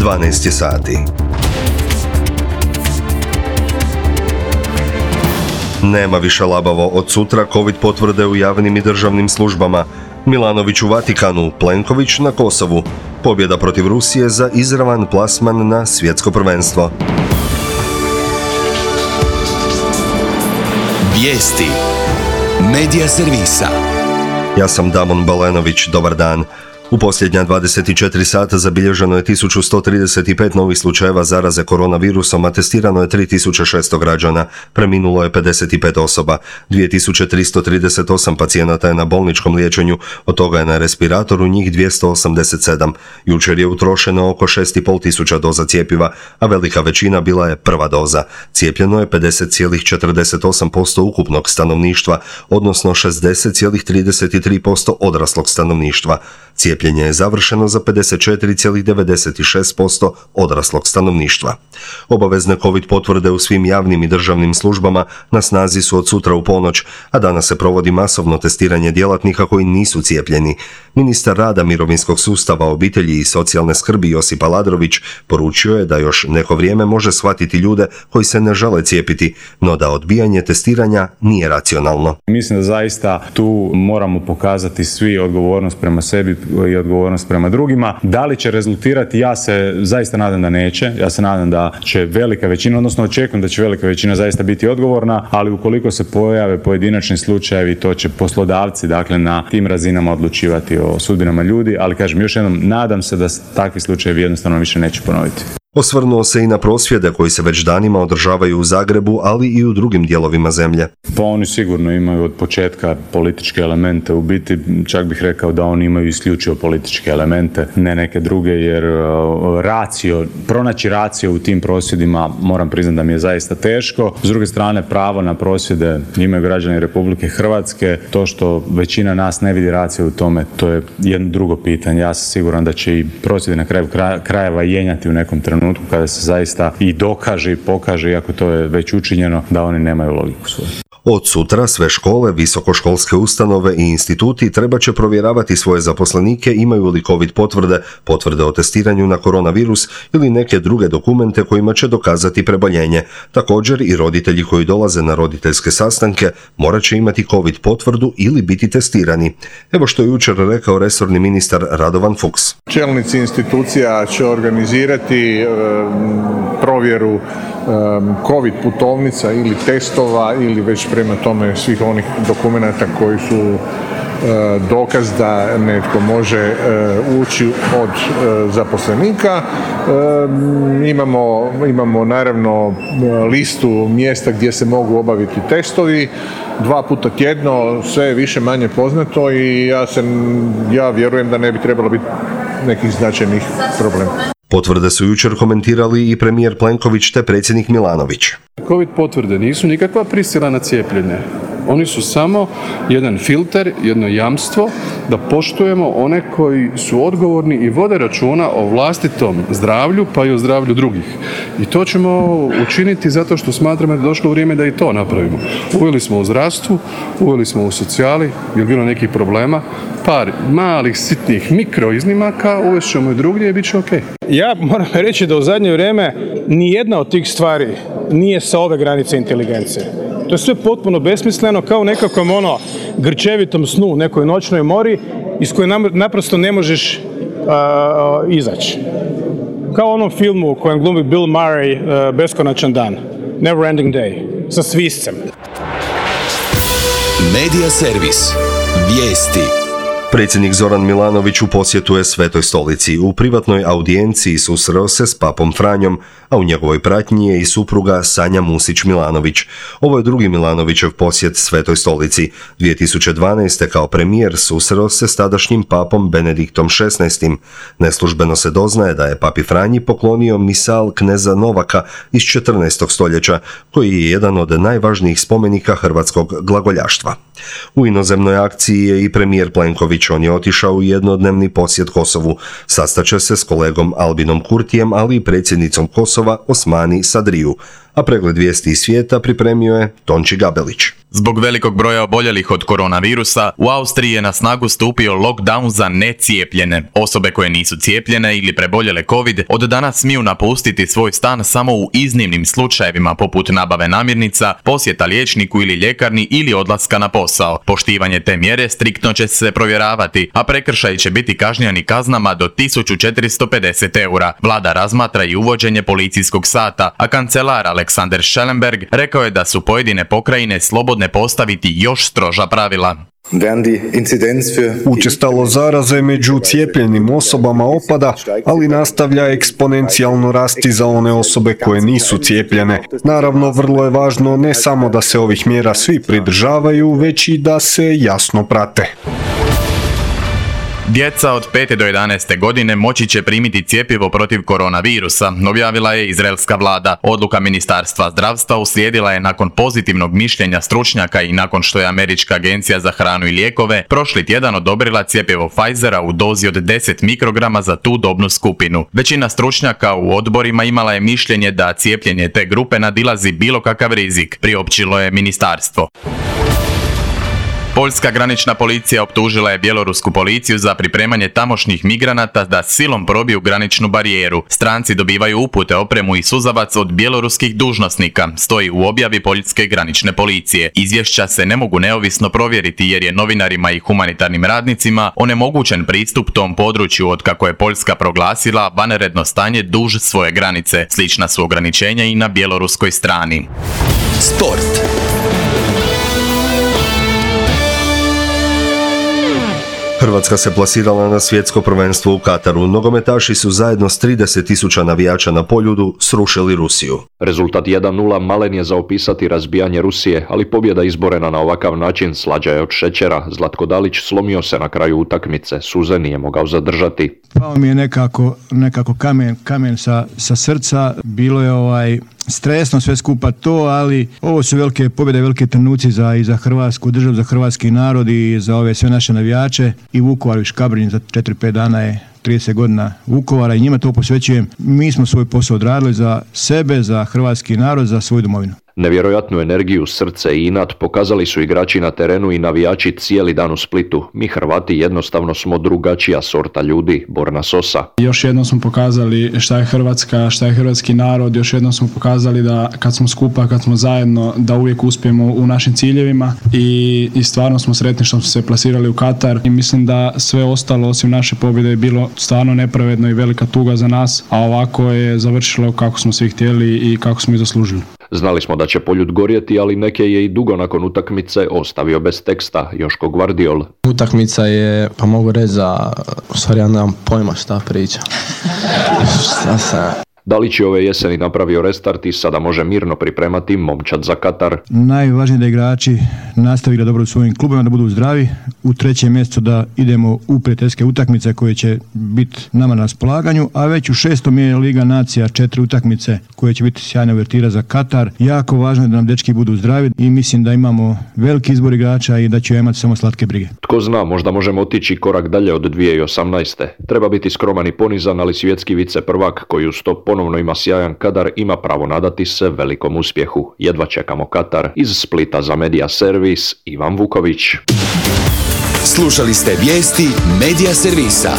12 sati. Nema više labavo od sutra COVID potvrde u javnim i državnim službama. Milanović u Vatikanu, Plenković na Kosovu. Pobjeda protiv Rusije za izravan plasman na svjetsko prvenstvo. Vijesti Medija servisa. Ja sam Damon Balenović, dobar dan. U posljednja 24 sata zabilježeno je 1135 novih slučajeva zaraze koronavirusom, a testirano je 3600 građana, preminulo je 55 osoba, 2338 pacijenata je na bolničkom liječenju, od toga je na respiratoru njih 287. Jučer je utrošeno oko 6500 doza cjepiva, a velika većina bila je prva doza. Cijepljeno je 50,48% ukupnog stanovništva, odnosno 60,33% odraslog stanovništva. Cijepljenje je završeno za 54,96% odraslog stanovništva. Obavezne COVID potvrde u svim javnim i državnim službama na snazi su od sutra u ponoć, a danas se provodi masovno testiranje djelatnika koji nisu cijepljeni. Ministar rada, mirovinskog sustava, obitelji i socijalne skrbi Josip Aladrović poručio je da još neko vrijeme može shvatiti ljude koji se ne žele cijepiti, no da odbijanje testiranja nije racionalno. Mislim da zaista tu moramo pokazati svi odgovornost prema sebi i odgovornost prema drugima. Da li će rezultirati? Ja se zaista nadam da neće. Ja se nadam da će velika većina, odnosno očekujem da će velika većina zaista biti odgovorna, ali ukoliko se pojave pojedinačni slučajevi, to će poslodavci, dakle, na tim razinama odlučivati o sudbinama ljudi, ali kažem još jednom, nadam se da takvi slučajevi jednostavno više neće ponoviti. Osvrnuo se i na prosvjede koji se već danima održavaju u Zagrebu, ali i u drugim dijelovima zemlje. Pa oni sigurno imaju od početka političke elemente, u biti čak bih rekao da oni imaju isključivo političke elemente, ne neke druge, jer pronaći racio u tim prosvjedima, moram priznati da mi je zaista teško. S druge strane, pravo na prosvjede imaju građani Republike Hrvatske. To što većina nas ne vidi racio u tome, to je jedno drugo pitanje. Ja sam siguran da će i prosvjede na kraju krajeva jenjati u nekom trenutku kada se zaista i dokaže i pokaže, iako to je već učinjeno, da oni nemaju logiku svoju. Od sutra sve škole, visokoškolske ustanove i instituti treba će provjeravati svoje zaposlenike imaju li COVID potvrde o testiranju na koronavirus ili neke druge dokumente kojima će dokazati preboljenje. Također i roditelji koji dolaze na roditeljske sastanke morat će imati COVID potvrdu ili biti testirani. Evo što je jučer rekao resorni ministar Radovan Fuchs. Čelnici institucija će organizirati provjeru COVID putovnica ili testova ili već prema tome svih onih dokumenata koji su dokaz da netko može ući od zaposlenika. Imamo naravno listu mjesta gdje se mogu obaviti testovi. 2 puta tjedno, sve je više manje poznato i ja vjerujem da ne bi trebalo biti nekih značajnih problema. Potvrde su jučer komentirali i premijer Plenković te predsjednik Milanović. COVID potvrde nisu nikakva prisila na cijepljenje. Oni su samo jedan filter, jedno jamstvo da poštujemo one koji su odgovorni i vode računa o vlastitom zdravlju, pa i o zdravlju drugih. I to ćemo učiniti zato što smatramo da je došlo vrijeme da i to napravimo. Uveli smo u zdravstvu, uveli smo u socijali, je bilo nekih problema, par malih, sitnih mikro iznimaka, uvest ćemo i drugdje i bit će ok. Ja moram reći da u zadnje vrijeme nijedna od tih stvari nije sa ove granice inteligencije. To je sve potpuno besmisleno, kao u nekakvom grčevitom snu u nekoj noćnoj mori iz koje naprosto ne možeš izaći. Kao u onom filmu u kojem glumi Bill Murray, Beskonačan dan, Never Ending Day, sa sviscem. Medija servis. Vijesti. Predsjednik Zoran Milanović u posjetu je Svetoj Stolici. U privatnoj audijenciji susreo se s papom Franjom, a u njegovoj pratnji je i supruga Sanja Musić-Milanović. Ovo je drugi Milanovićev posjet Svetoj Stolici. 2012. kao premijer susreo se s tadašnjim papom Benediktom XVI. Neslužbeno se doznaje da je papi Franji poklonio misal kneza Novaka iz 14. stoljeća, koji je jedan od najvažnijih spomenika hrvatskog glagoljaštva. U inozemnoj akciji je i premijer Plenković. On je otišao u jednodnevni posjet Kosovu. Sastaće se s kolegom Albinom Kurtijem, ali i predsjednicom Kosova Osmani Sadriju. A pregled vijesti iz svijeta pripremio je Tonči Gabelić. Zbog velikog broja oboljelih od koronavirusa, u Austriji je na snagu stupio lockdown za necijepljene. Osobe koje nisu cijepljene ili preboljele COVID od danas smiju napustiti svoj stan samo u iznimnim slučajevima poput nabave namirnica, posjeta liječniku ili ljekarni ili odlaska na posao. Poštivanje te mjere striktno će se provjeravati, a prekršaji će biti kažnjeni kaznama do 1450 eura. Vlada razmatra i uvođenje policijskog sata, a kancelar Alexander Schellenberg rekao je da su pojedine pokrajine slobodne postaviti još stroža pravila. Učestalo zaraze među cijepljenim osobama opada, ali nastavlja eksponencijalno rasti za one osobe koje nisu cijepljene. Naravno, vrlo je važno ne samo da se ovih mjera svi pridržavaju, već i da se jasno prate. Djeca od 5. do 11. godine moći će primiti cjepivo protiv koronavirusa, objavila je izraelska vlada. Odluka Ministarstva zdravstva uslijedila je nakon pozitivnog mišljenja stručnjaka i nakon što je Američka agencija za hranu i lijekove prošli tjedan odobrila cjepivo Pfizera u dozi od 10 mikrograma za tu dobnu skupinu. Većina stručnjaka u odborima imala je mišljenje da cijepljenje te grupe nadilazi bilo kakav rizik, priopćilo je ministarstvo. Poljska granična policija optužila je bjelorusku policiju za pripremanje tamošnjih migranata da silom probiju graničnu barijeru. Stranci dobivaju upute, opremu i suzavac od bjeloruskih dužnosnika, stoji u objavi poljske granične policije. Izvješća se ne mogu neovisno provjeriti jer je novinarima i humanitarnim radnicima onemogućen pristup tom području otkako je Poljska proglasila vanredno stanje duž svoje granice. Slična su ograničenja i na bjeloruskoj strani. Sport. Hrvatska se plasirala na svjetsko prvenstvo u Kataru. Nogometaši su zajedno s 30.000 navijača na Poljudu srušili Rusiju. Rezultat 1:0 malen je za opisati razbijanje Rusije, ali pobjeda izborena na ovakav način slađa je od šećera. Zlatko Dalić slomio se na kraju utakmice, suze nije mogao zadržati. Pao mi je nekako kamen sa srca, bilo je stresno sve skupa to, ali ovo su velike pobjede, velike trenuci i za Hrvatsku državu, za hrvatski narod i za ove sve naše navijače. I Vukovar i Škabrnja za 4-5 dana je 30 godina Vukovara i njima to posvećujem. Mi smo svoj posao odradili za sebe, za hrvatski narod, za svoju domovinu. Nevjerojatnu energiju, srce i inat pokazali su igrači na terenu i navijači cijeli dan u Splitu. Mi Hrvati jednostavno smo drugačija sorta ljudi, Borna Sosa. Još jednom smo pokazali šta je Hrvatska, šta je hrvatski narod, još jednom smo pokazali da kad smo skupa, kad smo zajedno, da uvijek uspijemo u našim ciljevima i stvarno smo sretni što smo se plasirali u Katar i mislim da sve ostalo osim naše pobjede je bilo stvarno nepravedno i velika tuga za nas, a ovako je završilo kako smo svi htjeli i kako smo i zaslužili. Znali smo da će Poljud gorjeti, ali neke je i dugo nakon utakmice ostavio bez teksta, Joško Gvardiol. Utakmica je, pa mogu reći u stvari ja nemam pojma šta priča. Dalić je ove jeseni napravio restart i sada može mirno pripremati momčad za Katar. Najvažnije da igrači nastavili dobro u svojim klubima, da budu zdravi. U 3. mjesecu da idemo u prijateljske utakmice koje će biti nama na raspolaganju, a već u 6. je Liga Nacija 4 utakmice koje će biti sjajna uvertira za Katar. Jako važno je da nam dečki budu zdravi i mislim da imamo veliki izbor igrača i da će imati samo slatke brige. Tko zna, možda možemo otići korak dalje od 2018. Treba biti skroman i ponizan, ali svjetski vice prvak koji uz to ponovno ima sjajan kadar ima pravo nadati se velikom uspjehu. Jedva čekamo Katar. Iz Splita za Media Servis, Ivan Vuković. Slušali ste vijesti Media Servisa.